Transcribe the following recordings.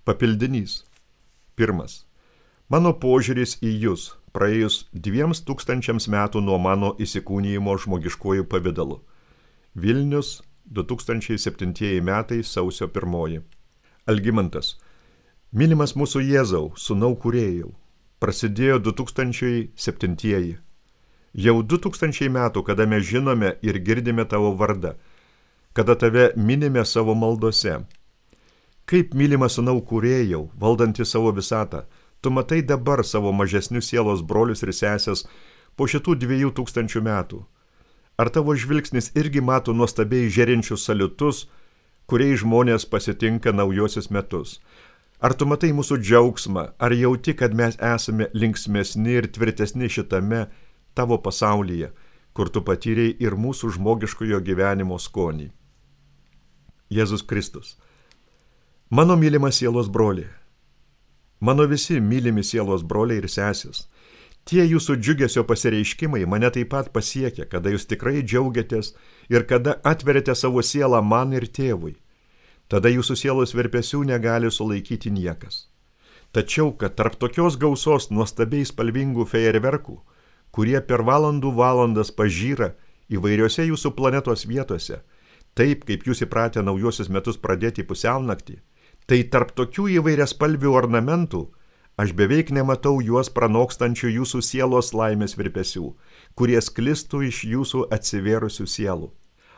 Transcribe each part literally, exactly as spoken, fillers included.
Papildinys. Pirmas. Mano požiūris į jūs, praėjus dviems tūkstančiams metų nuo mano įsikūnijimo žmogiškuoju pavidalu. Vilnius, du tūkstančiai septintieji metai, sausio pirmoji. Algimantas. Mylimas mūsų Jėzau, sūnau kūrėjau. Prasidėjo du tūkstančiai septintieji. Jau du tūkstančiai metų, kada mes žinome ir girdime tavo vardą, kada tave minime savo maldose. Kaip mylimas sūnau kūrėjau, valdantį savo visatą, tu matai dabar savo mažesnius sielos brolius ir sesės po šitų dviejų tūkstančių metų. Ar tavo žvilgsnis irgi mato nuostabiai žėrinčius saliutus, kuriais žmonės pasitinka naujosius metus? Ar tu matai mūsų džiaugsmą, ar jauti, kad mes esame linksmesni ir tvirtesni šitame tavo pasaulyje, kur tu patyrei ir mūsų žmogiškojo gyvenimo skonį? Jėzus Kristus. Mano mylimas sielos broliai, mano visi mylimi sielos broliai ir sesės, tie jūsų džiugesio pasireiškimai mane taip pat pasiekia, kada jūs tikrai džiaugiatės ir kada atverėte savo sielą man ir tėvui. Tada jūsų sielos virpesių negali sulaikyti niekas. Tačiau, kad tarp tokios gausos nuostabiai spalvingų fejerverkų, kurie per valandų valandas pažyra įvairiose jūsų planetos vietose, taip kaip jūs įpratę naujosius metus pradėti pusiaunaktį, tai tarp tokių įvairiaspalvių ornamentų aš beveik nematau juos pranokstančių jūsų sielos laimės virpesių, kurie sklistų iš jūsų atsivėrusių sielų.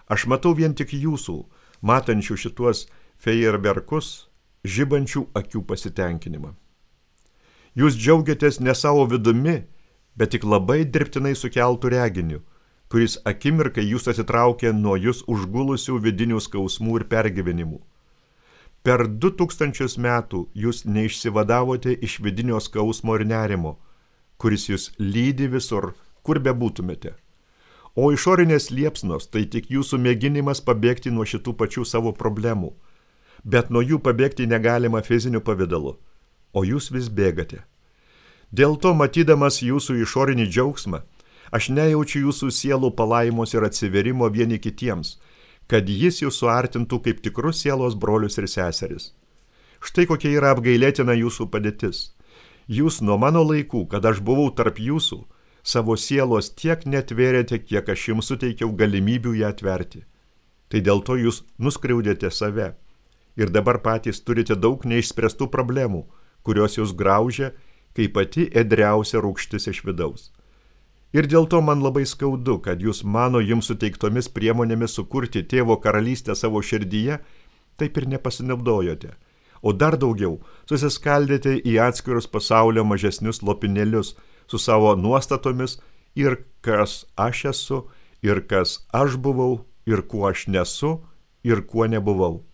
Aš matau vien tik jūsų, matančių šituos fejerverkus, žibančių akių pasitenkinimą. Jūs džiaugiatės ne savo vidumi, bet tik labai dirbtinai sukeltų reginiu, kuris akimirkai jūs atitraukė nuo jūs užgulusių vidinių skausmų ir pergyvenimų. Per du tūkstančius metų jūs neišsivadavote iš vidinio skausmo ir nerimo, kuris jūs lydi visur, kur bebūtumėte. O išorinės liepsnos tai tik jūsų mėginimas pabėgti nuo šitų pačių savo problemų, bet nuo jų pabėgti negalima fiziniu pavidalu, o jūs vis bėgate. Dėl to, matydamas jūsų išorinį džiaugsmą, aš nejaučiu jūsų sielų palaimos ir atsiverimo vieni kitiems, kad jis jūs suartintų kaip tikrus sielos brolius ir seseris. Štai kokia yra apgailėtina jūsų padėtis. Jūs nuo mano laikų, kad aš buvau tarp jūsų, savo sielos tiek netvėrėte, kiek aš jums suteikiau galimybių ją atverti. Tai dėl to jūs nuskriaudėte save ir dabar patys turite daug neišspręstų problemų, kurios jūs graužia, kaip pati ėdriausia rūgštis iš vidaus. Ir dėl to man labai skaudu, kad jūs mano jums suteiktomis priemonėmis sukurti tėvo karalystę savo širdyje, taip ir nepasinaudojote. O dar daugiau, susiskaldėte į atskirus pasaulio mažesnius lopinėlius su savo nuostatomis ir kas aš esu, ir kas aš buvau, ir kuo aš nesu, ir kuo nebuvau.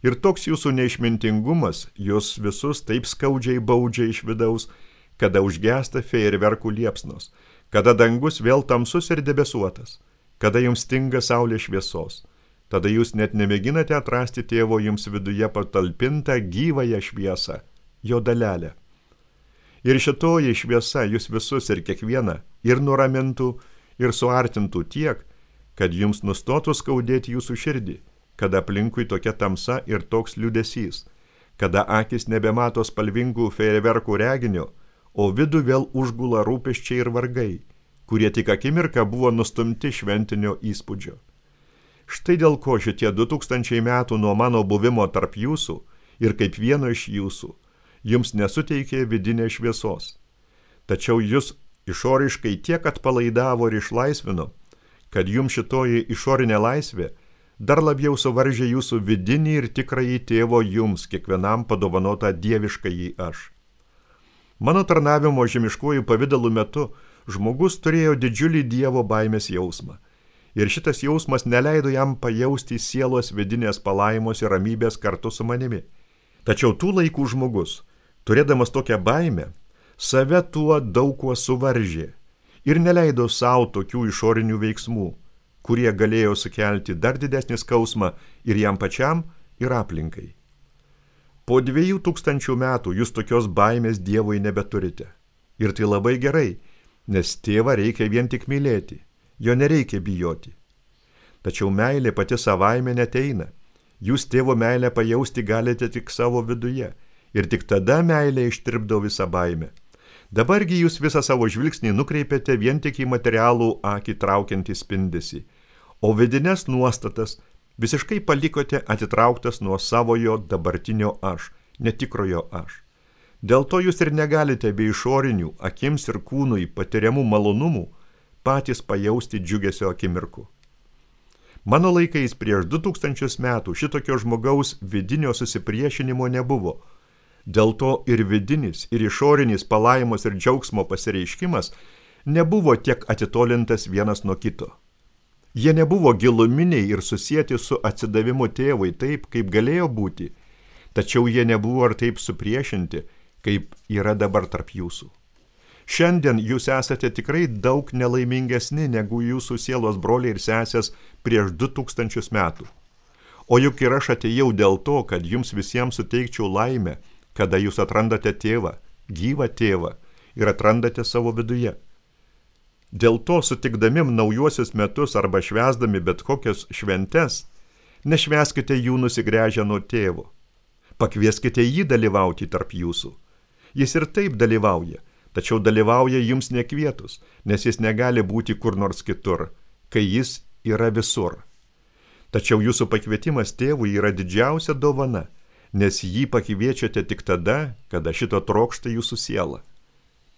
Ir toks jūsų neišmintingumas jūs visus taip skaudžiai baudžia iš vidaus, kada užgesta fejerverkų liepsnos, kada dangus vėl tamsus ir debesuotas, kada jums stinga saulės šviesos, tada jūs net nemėginate atrasti tėvo jums viduje patalpintą gyvąją šviesą, jo dalelę. Ir šitoji šviesa jūs visus ir kiekvieną ir nuramintų, ir suartintų tiek, kad jums nustotų skaudėti jūsų širdį, kada aplinkui tokia tamsa ir toks liūdesys, kada akis nebemato spalvingų fejerverkų reginio, o vidų vėl užgula rūpesčiai ir vargai, kurie tik akimirką buvo nustumti šventinio įspūdžio. Štai dėl ko šitie du tūkstančiai metų nuo mano buvimo tarp jūsų ir kaip vieno iš jūsų, jums nesuteikė vidinės šviesos. Tačiau jūs išoriškai tiek atpalaidavo ir išlaisvino, kad jums šitoji išorinė laisvė dar labiau suvaržė jūsų vidinį ir tikrąjį tėvo jums kiekvienam padovanotą dieviškąjį aš. Mano tarnavimo žemiškuoju pavidalu metu žmogus turėjo didžiulį Dievo baimės jausmą. Ir šitas jausmas neleido jam pajausti sielos vidinės palaimos ir ramybės kartu su manimi. Tačiau tų laikų žmogus, turėdamas tokią baimę, save tuo daug kuo suvaržė ir neleido savo tokių išorinių veiksmų, kurie galėjo sukelti dar didesnį skausmą ir jam pačiam, ir aplinkai. Po dviejų tūkstančių metų jūs tokios baimės Dievui nebeturite. Ir tai labai gerai, nes tėvą reikia vien tik mylėti, jo nereikia bijoti. Tačiau meilė pati savaime neteina. Jūs tėvo meilę pajausti galite tik savo viduje ir tik tada meilė ištirpdo visą baimę. Dabargi jūs visą savo žvilgsnį nukreipiate vien tik į materialų akį traukiantį spindesį, o vidines nuostatas visiškai palikote atitrauktas nuo savojo dabartinio aš, netikrojo aš. Dėl to jūs ir negalite be išorinių, akims ir kūnui patiriamų malonumų patys pajausti džiugesio akimirkų. Mano laikais prieš du tūkstančius metų šitokio žmogaus vidinio susipriešinimo nebuvo. Dėl to ir vidinis, ir išorinis palaimos ir džiaugsmo pasireiškimas nebuvo tiek atitolintas vienas nuo kito. Jie nebuvo giluminiai ir susieti su atsidavimu tėvui taip, kaip galėjo būti, tačiau jie nebuvo ir taip supriešinti, kaip yra dabar tarp jūsų. Šiandien jūs esate tikrai daug nelaimingesni negu jūsų sielos broliai ir sesės prieš du tūkstančius metų. O juk ir aš atėjau dėl to, kad jums visiems suteikčiau laimę, kada jūs atrandate tėvą, gyvą tėvą ir atrandate savo viduje. Dėl to sutikdami naujuosius metus arba švęsdami bet kokias šventes, nešvęskite jų nusigręžę nuo tėvo. Pakvieskite jį dalyvauti tarp jūsų. Jis ir taip dalyvauja, tačiau dalyvauja jums nekvietus, nes jis negali būti kur nors kitur, kai jis yra visur. Tačiau jūsų pakvietimas tėvui yra didžiausia dovana, nes jį pakviečiate tik tada, kada šito trokšta jūsų siela.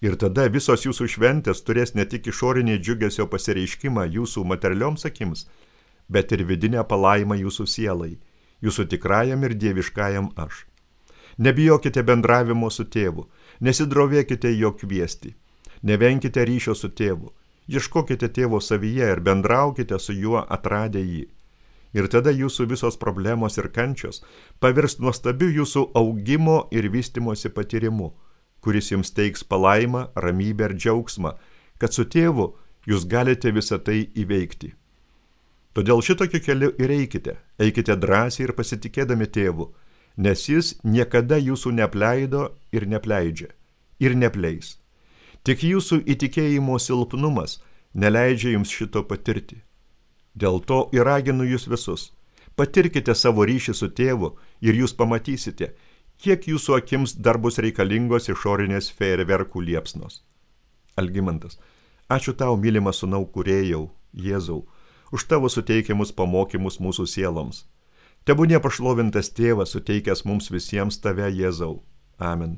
Ir tada visos jūsų šventės turės ne tik išorinį džiugesio pasireiškimą jūsų materialioms akims, bet ir vidinę palaimą jūsų sielai, jūsų tikrajam ir dieviškajam aš. Nebijokite bendravimo su tėvu, nesidrovėkite jo kviesti, nevenkite ryšio su tėvu, ieškokite tėvo savyje ir bendraukite su juo atradę jį. Ir tada jūsų visos problemos ir kančios pavirs nuostabiu jūsų augimo ir vystimosi patyrimu, kuris jums teiks palaimą, ramybę ir džiaugsmą, kad su tėvu jūs galite visą tai įveikti. Todėl šitokiu keliu ir eikite, eikite drąsiai ir pasitikėdami tėvu, nes jis niekada jūsų neapleido ir nepleidžia, ir nepleis. Tik jūsų įtikėjimo silpnumas neleidžia jums šito patirti. Dėl to ir raginu jūs visus. Patirkite savo ryšį su tėvu ir jūs pamatysite, kiek jūsų akims dar bus reikalingos išorinės fejerverkų liepsnos. Algimantas, ačiū tau, mylimas sūnau kūrėjau, Jėzau, už tavo suteikiamus pamokymus mūsų sieloms. Tebūnie pašlovintas tėvas suteikęs mums visiems tave, Jėzau. Amen.